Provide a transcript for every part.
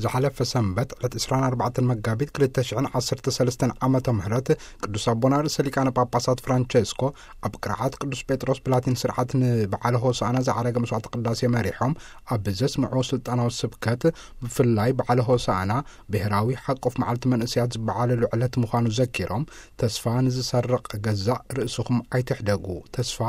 ዝሓለፈ ሰንበት ዕለት ዕስራን ኣርባዕተን መጋቢት ክልተ ሽሕን ዓሰርተ ሰለስተን ዓመተ ምህረት ቅዱስ ኣቦና ርእሰ ሊቃነ ጳጳሳት ፍራንቸስኮ ኣብ ቅርዓት ቅዱስ ጴጥሮስ ብላቲን ስርዓት ንበዓለ ሆሳዕና ዝዓረገ መስዋዕተ ቅዳሴ መሪሖም ኣብ ዘስምዕዎ ስልጣናዊ ስብከት፣ ብፍላይ በዓለ ሆሳዕና ብሔራዊ ሓቆፍ መዓልቲ መንእሰያት ዝበዓለሉ ዕለት ምዃኑ ዘኪሮም፣ "ተስፋ ንዝሰርቕ ገዛእ ርእስኹም ኣይትሕደጉ፣ ተስፋ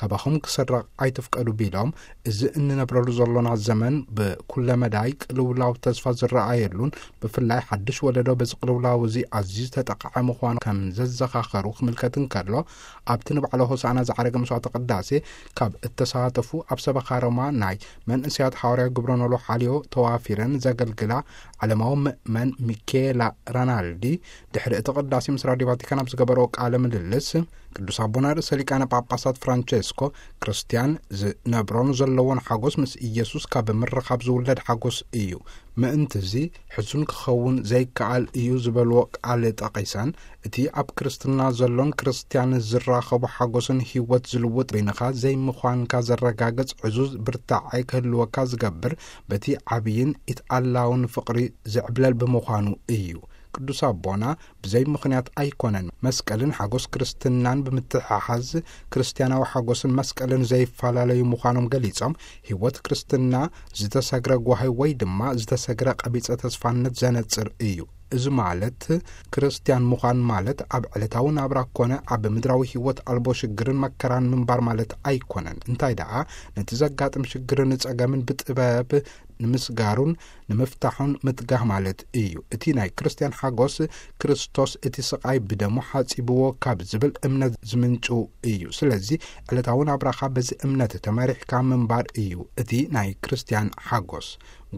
ካባኹም ክስረቕ ኣይትፍቀዱ" ቢሎም፣ እዚ እንነብረሉ ዘሎና ዘመን ብኩለ መዳይ ቅልውላው ተስፋ ዝረኣየሉን፣ ብፍላይ ሓድሽ ወለዶ በዚ ቅልውላው እዚ ኣዝዩ ዝተጠቕዐ ምዃኑ ከም ዘዘኻኸሩ ክምልከት እንከሎ፣ ኣብቲ ንበዓለ ሆሳዕና ዝዓረገ መስዋዕተ ቅዳሴ ካብ እተሳተፉ ኣብ ሰበኻ ሮማ ናይ መንእሰያት ሓዋርያዊ ግብረ ኖሎ ሓልዮ ተዋፊረን ዘገልግላ ዓለማዊ ምእመን ሚኬላ ራናልዲ፣ ድሕሪ እቲ ቅዳሴ ምስ ራድዮ ቫቲካን ኣብ ዝገበረኦ ቃለ ምልልስ፣ ቅዱስ ኣቦና ርእሰ ሊቃነ ጳጳሳት ፍራንቸስኮ፣ "ክርስትያን ዝነብሮን ዘለዎን ሓጎስ ምስ ኢየሱስ ካብ ምርኻብ ዝውለድ ሓጎስ እዩ። ምእንቲ እዚ ሕሱን ክኸውን ዘይከኣል እዩ" ዝበልዎ ቃል ጠቒሰን፣ እቲ ኣብ ክርስትና ዘሎን ክርስትያን ዝራኸቦ ሓጎስን ህይወት ዝልውጥ በይንኻ ዘይምዃንካ ዘረጋግጽ ዕዙዝ ብርታዐ ክህልወካ ዝገብር፣ በቲ ዓብይን ኢትኣላውን ፍቕሪ ዝዕብለል ብምዃኑ እዩ። ቅዱስ ኣቦና ብዘይ ምኽንያት ኣይኮነን መስቀልን ሓጎስ ክርስትናን ብምትሕሓዝ፣ ክርስትያናዊ ሓጎስን መስቀልን ዘይፈላለዩ ምዃኖም ገሊጾም፣ ህይወት ክርስትና ዝተሰግረ ጓሂ ወይ ድማ ዝተሰግረ ቀቢጸ ተስፋነት ዘነጽር እዩ። እዚ ማለት፣ ክርስትያን ምዃን ማለት ኣብ ዕለታዊ ናብራ ኮነ ኣብ ምድራዊ ህይወት ኣልቦ ሽግርን መከራን ምንባር ማለት ኣይኮነን። እንታይ ደኣ፣ ነቲ ዘጋጥም ሽግርን ጸገምን ብጥበብ ንምስጋሩን ንምፍታሑን ምትጋህ ማለት እዩ። እቲ ናይ ክርስትያን ሓጎስ፣ ክርስቶስ እቲ ስቓይ ብደሙ ሓጺብዎ ካብ ዝብል እምነት ዝምንጩ እዩ። ስለዚ፣ ዕለታዊ ናብራኻ በዚ እምነት ተመሪሕካ ምንባር እዩ እቲ ናይ ክርስትያን ሓጎስ።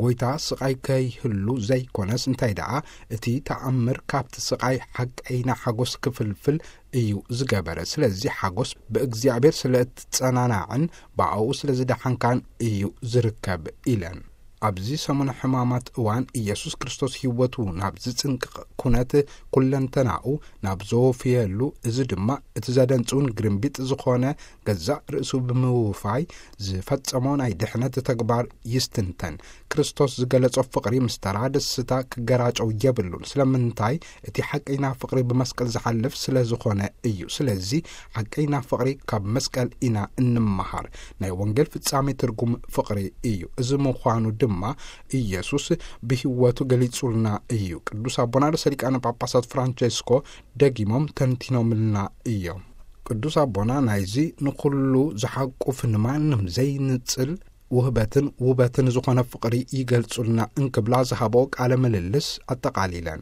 ጎይታ ስቓይ ከይህሉ ዘይኮነስ፣ እንታይ ደኣ፣ እቲ ተኣምር ካብቲ ስቓይ ሓቀይና ሓጎስ ክፍልፍል እዩ ዝገበረ። ስለዚ፣ ሓጎስ ብእግዚኣብሔር ስለ እትጸናናዕን ብኣኡ ስለ ዝደሓንካን እዩ ዝርከብ ኢለን። ኣብዚ ሰሙነ ሕማማት እዋን፣ ኢየሱስ ክርስቶስ ህይወቱ ናብ ዝጽንቅቕ ኩነት፣ ኩለንተናኡ ናብ ዘወፍየሉ፣ እዚ ድማ እቲ ዘደንጽውን ግርምቢጥ ዝኾነ ገዛእ ርእሱ ብምውፋይ ዝፈጸሞ ናይ ድሕነት ተግባር ይስትንተን። ክርስቶስ ዝገለጾ ፍቕሪ ምስ ተራ ደስታ ክገራጨው የብሉን። ስለምንታይ? እቲ ሓቀይና ፍቕሪ ብመስቀል ዝሓልፍ ስለ ዝኾነ እዩ። ስለዚ ሓቀይና ፍቕሪ ካብ መስቀል ኢና እንመሃር። ናይ ወንጌል ፍጻሜ ትርጉም ፍቕሪ እዩ። እዚ ምዃኑ ድማ ኢየሱስ ብህይወቱ ገሊጹልና እዩ። ቅዱስ ኣቦና ርእሰ ሊቃነ ጳጳሳት ፍራንቸስኮ ደጊሞም ተንቲኖምልና እዮም። ቅዱስ ኣቦና ናይዚ ንኹሉ ዝሓቁፍ ንማንም ዘይንጽል ውህበትን ውበትን ዝኾነ ፍቕሪ ይገልጹልና እንክብላ ዝሃበኦ ቃለ ምልልስ ኣጠቓሊለን።